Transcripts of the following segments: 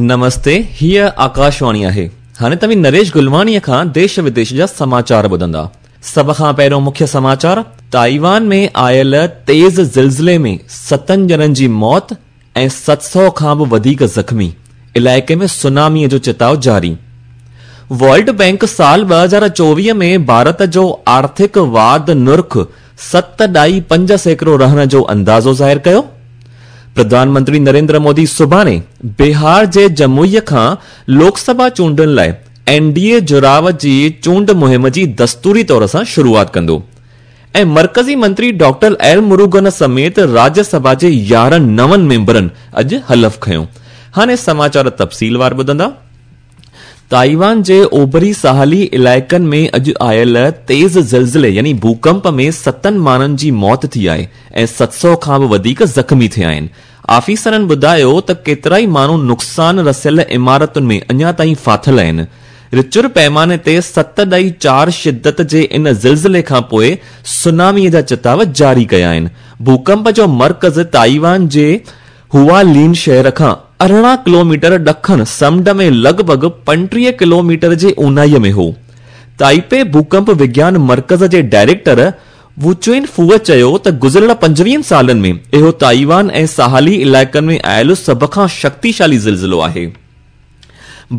نمستي، هيء آڪاشواڻي آهي. هاڻي توهين نريش گلواڻيء کان ديش وديش جا سماچار ٻڌندا. سڀ کان پهريون مکيه سماچار، تائيوان ۾ آيل تيز زلزلي ۾ ستن ڄڻن جي موت ۽ 700 کان به وڌيڪ زخمي، علائقي ۾ سوناميء جو چتاء جاري. ورلڊ بئنڪ سال 2024 ۾ ڀارت جو آرٿڪ واڌ نرخ 7.5% رهڻ جو اندازو ظاهر ڪيو. پرڌان منتري نريندر مودي سڀاڻي بهار جي جموئي کان لوڪ سڀا چونڊن لاء اين ڊي اي جڙاء جي چونڊ مهم جي دستوري طور سان شروعات ڪندو ۽ مرڪزي منتري ڊاڪٽر ايل مروگن سميت راجيه سڀا جي 11 نون ميمبرن اڄ حلف کنيو. هاڻي سماچار تفصيلوار ٻڌندا. تائيوان جي اوڀري ساحلي علائقن ۾ اڄ آيل تيز زلزلي يعني ڀوڪمپ ۾ ستن ماڻهن جي موت ٿي آهي ۽ 700 کان به وڌيڪ زخمي ٿيا آهن. آفيسرن ٻڌايو ته ڪيترائي ماڻهو نقصان رسيل عمارتن ۾ اڃا تائين ڦاٿل آهن. رچر پيماني تي 7.4 شدت جي ان زلزلي کانپوء سونامي جا چتاء جاري ڪيا آهن. ڀوڪمپ جو مرڪز تائيوان جي هوا لين شهر کان 18 ڪلوميٽر ڏکڻ سمنڊ ۾ لڳ ڀڳ 35 ڪلوميٽر جي اونهائي ۾ هو. تائپي ڀوڪمپ وگيان مرڪز جي ڊائريڪٽر وو چوئن فوء چيو ته گذريل 25 سالن ۾ اهو تائيوان ۽ ساحلي علائقن ۾ آيل سڀ کان شڪتيشالي زلزلو آهي.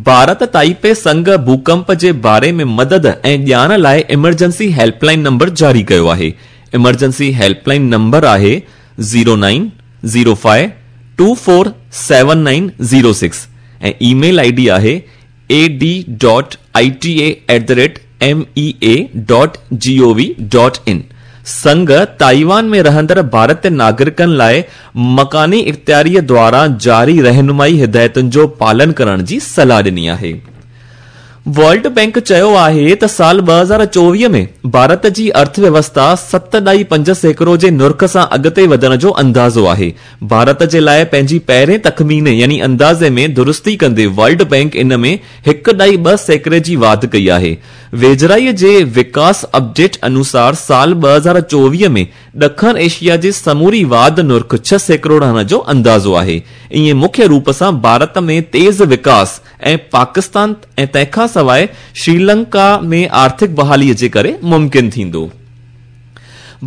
ڀارت تائپي سنگهه ڀوڪمپ جي باري ۾ مدد ۽ ڄاڻ لاء ايمرجنسي هيلپ لائين نمبر جاري ڪيو آهي. ايمرجنسي هيلپ لائين نمبر آهي zero nine zero five two four seven nine zero six ۽ e mail I D آهي A D dot I T A at the rate M E A dot G O V dot in. Singh Taiwan ۾ رهندڙ ڀارتي ناگرڪن لاء مڪاني اختياريء دواران جاري رهنمائي هدايتن جو پالن ڪرڻ جي صلاح ڏني آهي. ورلڊ بئنڪ چيو آهي ته سال 2024 ۾ ڀارت جي ارٿ ويوسٿا 7.5% جي نرخ سان اڳتي وڌڻ جو اندازو آهي. ڀارت جي لاء پنهنجي پهرين تخميني يعني اندازي ۾ درستي ڪندي ورلڊ بئنڪ ان ۾ 1.2% جي واڌ ڪئي آهي. ويجهڙائيء جي وڪاس اپڊيٽ انوسار سال 2024 ۾ ڏکڻ ايشيا جي سموري واڌ نرخ 6% رهڻ جو اندازو آهي. ائين مکيه روپ سان ڀارت ۾ تيز وڪاس ۽ پاڪستان ۽ تنهن کان سواء شريلنڪا ۾ آرٿڪ بحاليء جي ڪري ممڪن ٿيندو.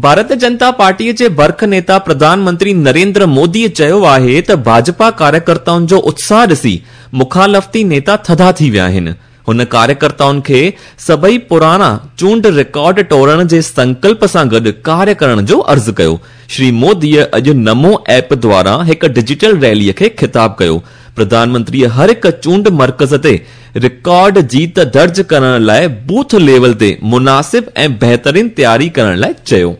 ڀارتيه جنتا پارٽيء جي برک نيتا پرڌان منتري نريندر موديء چيو آهي ته ڀاجپا ڪاريڪرتائن جو اتساهه ڏسي مخالفتي نيتا ٿڌا ٿي ويا آهن. هن ڪاريڪرتائن کي سڀئي پراڻا چونڊ رڪارڊ ٽوڙڻ جي سنڪلپ سان گڏ ڪاريه ڪرڻ جو عرض ڪيو. شري موديء اڄ نمو ايپ دواران هڪ ڊجيٽل ريليء کي خطاب ڪيو. پرڌان منتريء هر هڪ چونڊ مرڪز تي رڪارڊ جيت درج ڪرڻ لاء بوٿ ليول تي مناسب ۽ بهترين تياري ڪرڻ لاء چيو.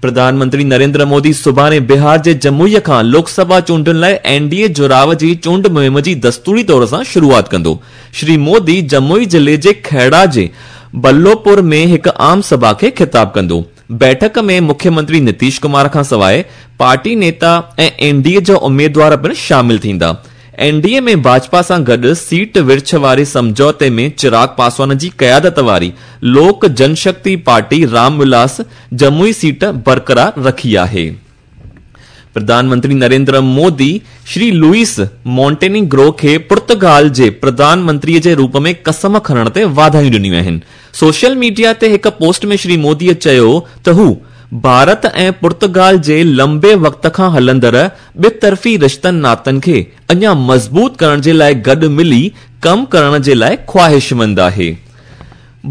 پرڌان منتري نريندر مودي سڀاڻي بهار جي جموئي کان لوڪ سڀا چونڊن لاء اين ڊي اي جڙاء جي چونڊ مهم جي دستوري طور سان شروعات ڪندو. شري مودي جموئي ضلعي جي کهڙا جي بلوپور ۾ هڪ عام سڀا کي خطاب ڪندو. بيٺڪ ۾ مکيه منتري نتيش ڪمار کان سواء پارٽي نيتا ۽ اين ڊي اي جا اميدوار پڻ شامل ٿيندا. اين ڊي اي ۾ ڀاجپا سان گڏ سيٽ ورڇ واري سمجهوتي ۾ چراغ پاسوان جي قيادت واري لوڪ جنشڪتي پارٽي رام ولاس جموئي سيٽ برقرار رکي آهي. پرڌان منتري نريندر مودي شري لوئيس مونٽينيگرو کي پرتگال جي پرڌان منتري جي روپ ۾ قسم کڻڻ تي واڌايون ڏنيون آهن. سوشل ميڊيا تي هڪ پوسٽ ۾ شري مودي چيو ته هو ڀارت ۽ پرتگال جي لنبي وقت کان هلندڙ ٻطرفي رشتن ناتن کي اڃا مضبوط ڪرڻ جي لاء گڏ ملي ڪم ڪرڻ جي لاء خواهشمند آهي.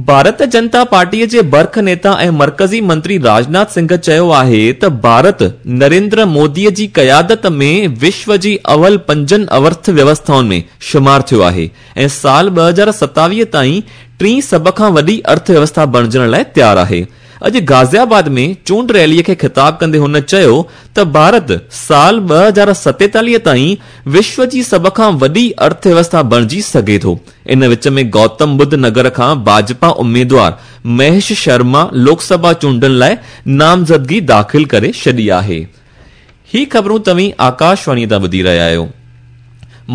ڀارتيه جنتا پارٽيء جي برک نيتا ۽ مرڪزي منتري راجناٿ سنگهه چيو آهي ته ڀارت نريندر موديء جي قيادت ۾ وشو جي اول پنجن ارٿ ويوسٿائن ۾ شمار ٿيو آهي ۽ سال 2027 تائين ٽين سڀ کان وڏي ارٿ ويوسٿا بڻجڻ لاء تيار آهي. اڄ غازي آباد ۾ چونڊ ريليء کي خطاب ڪندي هن چيو ته ڀارت سال 2047 تائين وشو جي سڀ کان وڏي ارٿ ويوسٿا بڻجي سگهي ٿو. ان وچ ۾ گوتم ٻڌ نگر کان ڀاجپا اميدوار مهيش شرما لوڪ سڀا چونڊن لاء نامزدگي داخل ڪري ڇڏي آهي. هي خبرون توهين آڪاشواڻيء تان ٻڌي رهيا آهيو.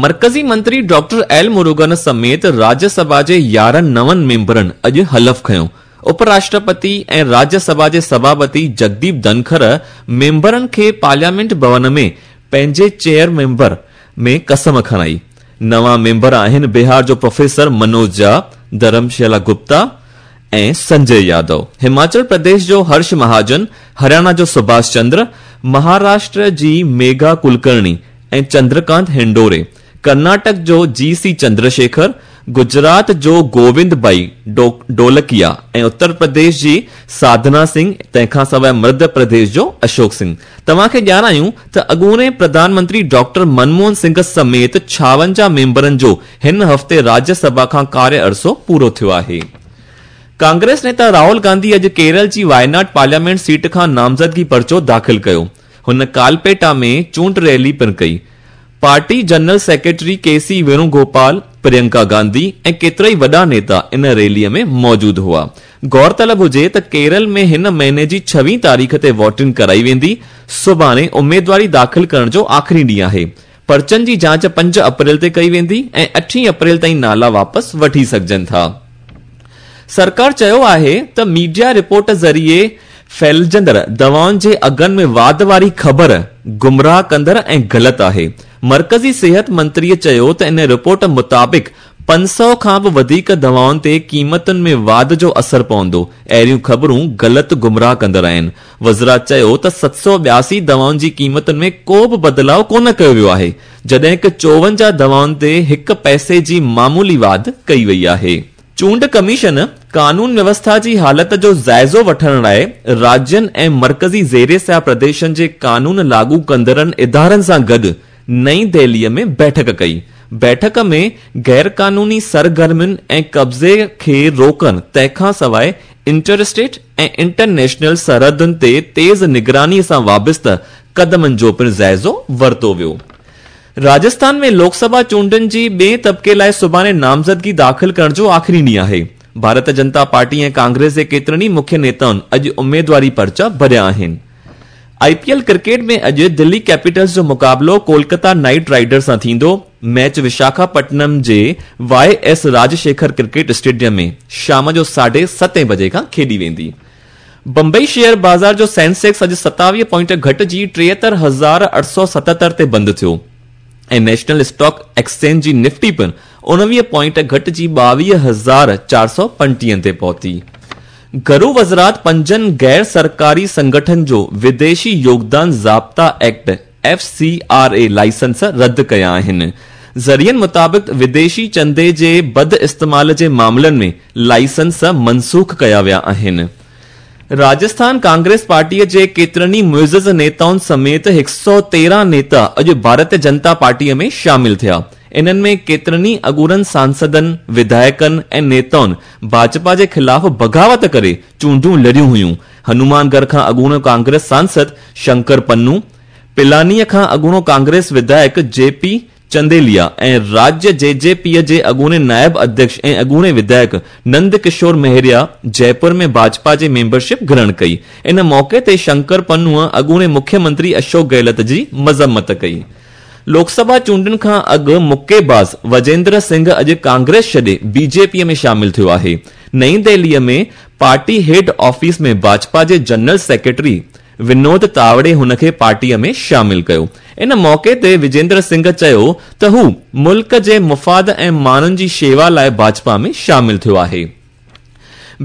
مرڪزي منتري ڊاڪٽر ايل مروگن سميت راجيه سڀا جي 11 نون ميمبرن اڄ حلف کنيو. اپ راشٽرپتي ۽ راجيه سڀا جي سڀاپتي جگديپ ڌنکر ميمبرن کي پارليامينٽ ڀون ۾ پنهنجي چيئر ميمبر ۾ قسم کڻائي. نوان ميمبر آهن بهار جو پروفيسر منوج جها، ڌرمشيلا گپتا ۽ سنجي يادو، هماچل پرديش جو هرش مهاجن، هرياڻا جو سڀاش چندر، مهاراشٽر جي ميگها ڪلڪرڻي ۽ چندرڪانت هنڊوري، ڪرناٽڪ جو جي سي چندرشيکر، گجرات جو گووند ڀائي ڍولڪيا ۽ اتر پرديش جي ساڌنا سنگهه تنهن کان سواء مڌيه پرديش جو اشوڪ سنگهه. توهان کي ڄاڻايون ته اڳوڻي پرڌان منتري ڊاڪٽر منموهن سنگهه سميت 56 ميمبرن جو هن هفتي راجيه سڀا کان ڪاريه عرصو پورو ٿيو آهي. ڪانگريس نيتا راهول گانڌي اڄ ڪيرل جي وايناڊ پارليامينٽ سيٽ کان نامزدگي پرچو داخل ڪيو. هن ڪالپيٽا ۾ چونڊ ريلي پڻ ڪئي. Party general secretary K C Venugopal, Priyanka Gandhi ۽ ڪيترائي وڏا نيتا ان ريلي ۾ موجود هئا. غور طلب هجي ته ڪيرل ۾ هن مهيني جي ڇويهين تاريخ تي ووٽنگ ڪرائي ويندي، سڀاڻي اميدواري داخل ڪرڻ جو آخري ڏينهن آهي. پرچن جي جاچ 5 اپريل تي ڪئي ويندي ۽ اٺين اپريل تائين نالا واپس وٺي سگهجن ٿا. سرڪار چيو آهي ته ميڊيا رپورٽ ذريعي ڦهلجندڙ دوائن جي اگهن ۾ واڌ واري خبر گمراهه ڪندڙ ۽ غلط آهي. مرڪزي صحت منتري چيو ته ان رپورٽ مطابق 500 کان به وڌيڪ دوائن تي قيمتن ۾ واڌ جو اثر پوندو، اهڙيون خبرون غلط گمراهه ڪندڙ آهن. وزرا چيو ته 782 دوائن جي قيمتن ۾ ڪو به بدلاء ڪونه ڪيو ويو آهي، جڏهن ڪه 54 دوائن تي هڪ پئسي جي معمولي واڌ ڪئي وئي آهي. چونڊ ڪميشن قانون ويوسٿا جي حالت جو جائزو وٺڻ لاء راجين ۽ مرڪزي زير سايه پرديشن جي قانون لاڳو ڪندڙن ادارن سان گڏ نئين دهلي ۾ بيٺڪ ڪئي. بيٺڪ ۾ غيرقانوني سرگرمين ۽ قبضي کي روڪڻ تنهن کان سواء انٽر اسٽيٽ ۽ انٽرنيشنل سرحدن تي تيز نگراني سان وابسته قدمن جو پڻ جائزو ورتو ويو. راجسٿان ۾ لوڪ سڀا چونڊن جي ٻئين طبقي لاء سڀاڻي نامزدگي داخل ڪرڻ جو آخري ڏينهن آهي. ڀارت جنتا پارٽي ۽ ڪانگريس جي ڪيترن ئي مکيه نيتائن اڄ اميدواري پرچا ڀريا آهن. آء پي ايل ڪرڪيٽ ۾ اڄ دلي ڪيپيٽلز جو مقابلو ڪولڪتا نائيٽ رائيڊرز سان ٿيندو. ميچ وشاکاپٽنم جي Y S Rajasekhar cricket stadium ۾ شام جو ساڍي ستين بجي کان کيڏي ويندي. بمبئي شيئر بازار جو سينسيڪس اڄ 27 پوائنٽ گهٽجي 73877 تي بند ٿيو ۽ نيشنل اسٽاڪ ايڪسچينج جي نفٽي پڻ 19 پوائنٽ گهٽجي 22435 تي پهتي. گهرو وزارت پنجن غير سرڪاري سنگٺن جو وديشي يوگدان ضابطا act, F C R A, licence رد ڪيا آهن. ذريعن مطابق وديشي چندي جي بد استعمال جي معاملن ۾ لائسنس منسوخ ڪيا ويا آهن. راجسٿان ڪانگريس پارٽي جي ڪيترن ئي معزز نيتائن سميت 113 نيتا اڄ ڀارتيه جنتا پارٽي ۾ شامل ٿيا. انهن ۾ ڪيترن ئي اڳوڻن سانسدن، وڌايڪن ۽ نيتائن ڀاجپا جي خلاف بغاوت ڪري چونڊون لڙيون هيون. هنومان ڳڙهه کان اڳوڻو ڪانگريس سانسد شنڪر پنو، پلانيء کان اڳوڻو ڪانگريس وڌايڪ جي پي چنديليا ۽ راجيه جي جي پيء جي اڳوڻي نائب اڌيڪش ۽ اڳوڻي وڌايڪ نند ڪشور مهريا جئپور ۾ ڀاجپا جي ميمبرشپ گرهڻ ڪئي. ان موقعي تي شنڪر پنوء اڳوڻي مکيه منتري اشوڪ گهلت جي مذمت ڪئي. لوڪ سڀا چونڊن کان اڳ مڪي باز وجيندر سنگهه اڄ ڪانگريس ڇڏي بي جي پيء ۾ شامل ٿيو آهي. نئين دهليء ۾ پارٽي هيڊ آفيس ۾ ڀاجپا جي جنرل سيڪريٽري ونود تاوڙي هن کي پارٽيء ۾ شامل ڪيو. ان موقعي تي وجيندر سنگهه چيو ته هو ملڪ جي مفاد ۽ ماڻهن جي شيوا لاء ڀاجپا ۾ شامل ٿيو آهي.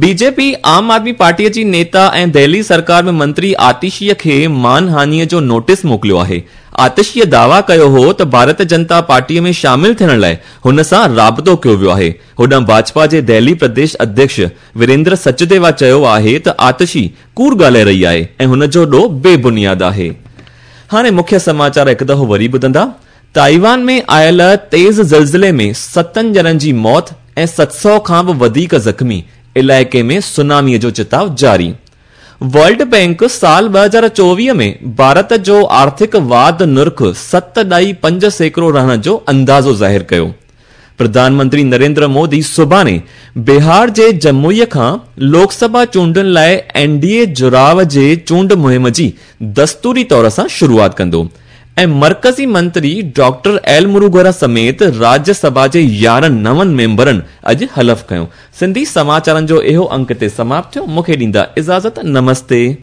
بي جي پي عام آدمي پارٽيء جي نيتا ۽ دهلي سرڪار ۾ منتري آتشيء کي مان هاڃيء جو نوٽيس موڪليو آهي. آتشيء دعويٰ ڪيو هو ته ڀارت جنتا پارٽيء ۾ شامل ٿيڻ لاء هن سان رابطو ڪيو ويو آهي. هوڏانهن ڀاجپا جي دهلي پرديش اڌيڪش ويريندر سچديوا چيو آهي ته آتشي ڪوڙ ڳالهائي رهي آهي ۽ هن جو ڏوهه بي بنياد آهي. هاڻي مکيه سماچار هڪ دفعو وري ٻڌندا. تائيوان ۾ آيل تيز زلزلي ۾ ستن ڄڻن جي موت ۽ 700 کان به وڌيڪ زخمي، علائقي ۾ سونامي جو چتاء جاري. ورلڊ بئنڪ سال 2024 ۾ ڀارت جو آرٿڪ واڌ نرخ 7.5% رهڻ جو اندازو ظاهر ڪيو. پرڌان منتري نريندر مودي سڀاڻي بهار جي جموئي کان لوڪ سڀا چونڊن لاء اين ڊي اي جڙاء جي چونڊ مهم جي دستوري طور سان شروعات ڪندو ۽ مرڪزي منتري ڊاڪٽر ايل مروگن سميت راجيه سڀا جي 11 نون ميمبرن اڄ حلف کنيو. سنڌي سماچارن جو اهو انڪ هتي سماپت ٿيو. مون کي ڏيندا اجازت. نمستي.